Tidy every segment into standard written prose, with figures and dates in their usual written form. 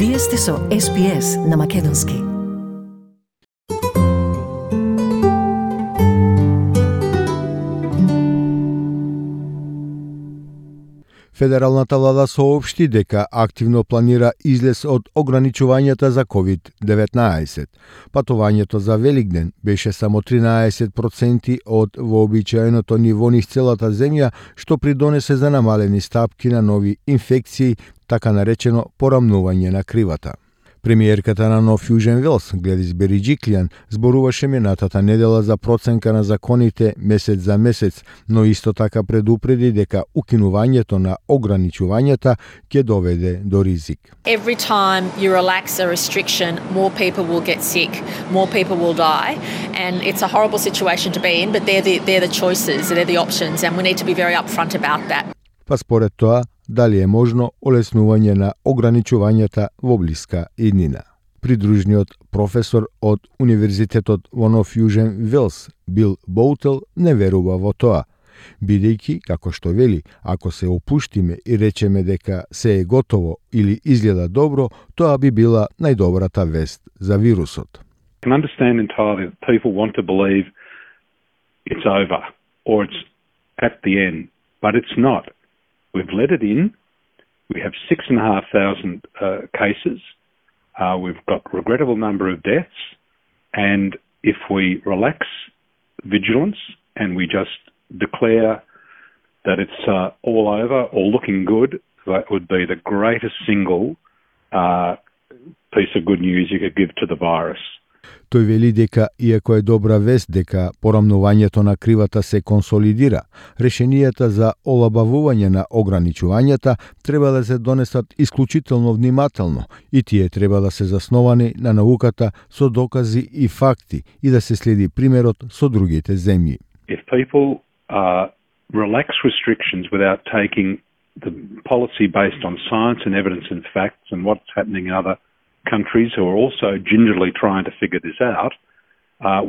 Вие сте со SPS на Македонски. Федералната влада соопшти дека активно планира излез од ограничувањата за COVID-19. Патувањето за Великден беше само 13% од вообичаеното ниво низ целата земја, што придонесе за намалени стапки на нови инфекции, така наречено порамнување на кривата. Премиерката на Нов Јужен Велс, Гледис Бериџиклијан, зборуваше минатата недела за проценка на законите месец за месец, но исто така предупреди дека укинувањето на ограничувањата ќе доведе до ризик. Every time you relax a restriction, more people will get sick, more people will die, and it's a horrible situation to be in, but they're the choices, they're the options, and we need to be very upfront about that. Па според тоа, дали е можно олеснување на ограничувањата во блиска иднина. Придружниот професор од Универзитетот во Нов Јужен Велс, Бил Боутел, не верува во тоа, бидејќи, како што вели, ако се опуштиме и речеме дека се е готово или изгледа добро, тоа би била најдобрата вест за вирусот. I can understand entirely that people want to believe it's over or it's at the end, but it's not. We've let it in. We have 6,500 cases. We've got a regrettable number of deaths. And if we relax vigilance and we just declare that it's all over or looking good, that would be the greatest single piece of good news you could give to the virus. Тој вели дека, иако е добра вест дека порамнувањето на кривата се консолидира, решенијата за олабавување на ограничувањата треба да се донесат исклучително внимателно и тие треба да се засновани на науката со докази и факти и да се следи примерот со другите земји. If people relax restrictions without taking the policy based on science and evidence and facts and what's happening in other countries who are also gingerly trying to figure this out,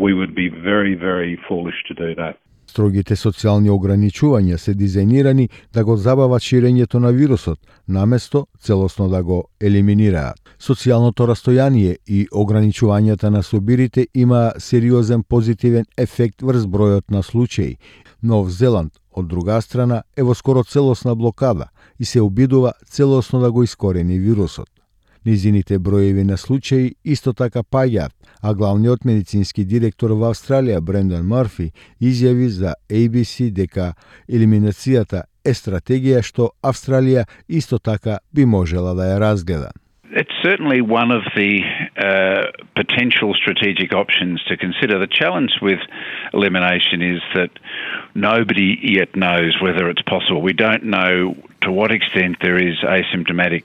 we would be very, very foolish to do that. Строгите социјални ограничувања се дизајнирани да го забават ширењето на вирусот, наместо целосно да го елиминираат. Социјалното растојание и ограничувањата на собирите има сериозен позитивен ефект врз бројот на случаи. Нов Зеланд, од друга страна, е во скоро целосна блокада и се обидува целосно да го искорени вирусот. Низините броеви на случаи исто така паѓаат, а главниот медицински директор во Австралија, Брендан Марфи, изјави за ABC дека елиминацијата е стратегија што Австралија исто така би можела да ја разгледа. It's certainly one of the potential strategic options to consider. The challenge with elimination is that nobody yet knows whether it's possible. We don't know to what extent there is asymptomatic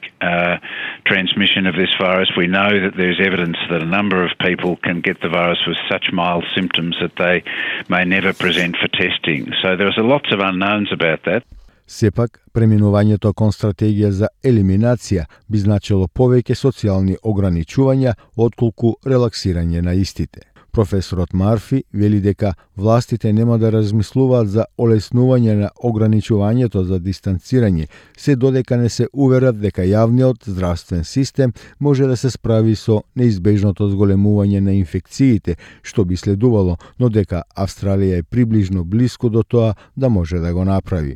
transmission of this virus. We know that there's evidence that a number of people can get the virus with such mild symptoms that they may never present for testing. So there's lots of unknowns about that. Сепак, преминувањето кон стратегија за елиминација би значило повеќе социјални ограничувања отколку релаксирање на истите. Професорот Марфи вели дека властите нема да размислуваат за олеснување на ограничувањето за дистанцирање, се додека не се уверат дека јавниот здравствен систем може да се справи со неизбежното зголемување на инфекциите, што би следувало, но дека Австралија е приближно блиску до тоа да може да го направи.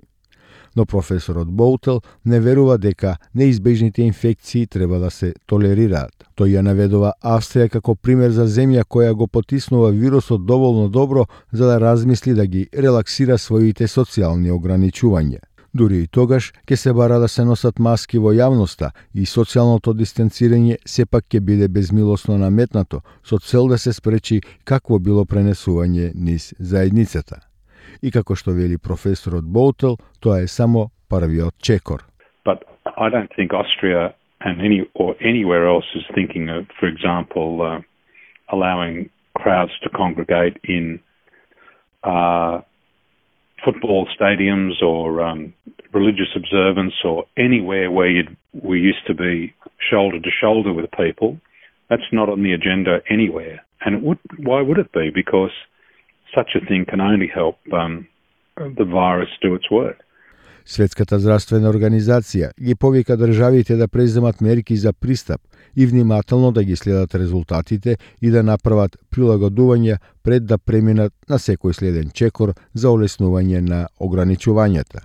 Но професорот Боутел не верува дека неизбежните инфекции треба да се толерираат. Тој ја наведува Австрија како пример за земја која го потиснува вирусот доволно добро за да размисли да ги релаксира своите социјални ограничувања. Дури и тогаш ќе се бара да се носат маски во јавноста и социјалното дистанцирање сепак ќе биде безмилосно наметнато со цел да се спречи какво било пренесување низ заедницата. И како што вели професорот Боутел, тоа е само првиот чекор. But I don't think Austria and anywhere else is thinking of, for example, allowing crowds to congregate in football stadiums or religious observance or anywhere where we used to be shoulder to shoulder with people. That's not on the agenda anywhere. And why would it be? Because such a thing can only help the virus do its work. Светската здравствена организација ги повика државите да преземат мерки за пристап и внимателно да ги следат резултатите и да направат прилагодувања пред да преминат на секој следен чекор за олеснување на ограничувањата.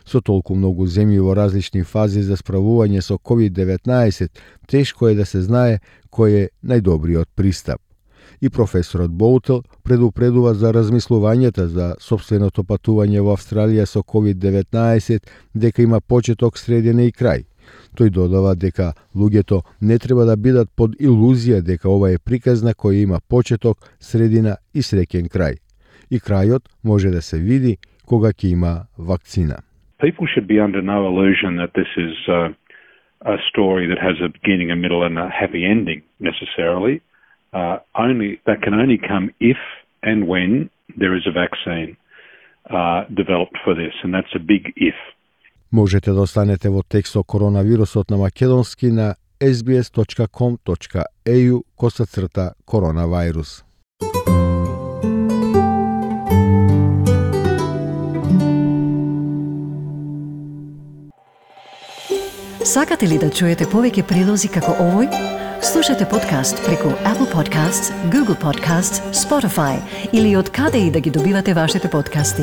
Со толку многу земји во различни фази за справување со COVID-19, тешко е да се знае кој е најдобриот пристап. И професорот Боутел предупредува за размислувањата за сопственото патување во Австралија со COVID-19 дека има почеток, средина и крај. Тој додава дека луѓето не треба да бидат под илузија дека ова е приказна која има почеток, средина и среќен крај. И крајот може да се види кога ќе има вакцина. People should be under no illusion that this is a story that has a beginning, a middle and a happy ending necessarily. That can only come if and when there is a vaccine developed for this, and that's a big if. Можете да останете во текст со коронавирусот на македонски на sbs.com.au/коронавирус. Сакате ли да чуете повеќе прилози како овој? Слушате подкаст преку Apple Podcasts, Google Podcasts, Spotify или од каде и да ги добивате вашите подкасти.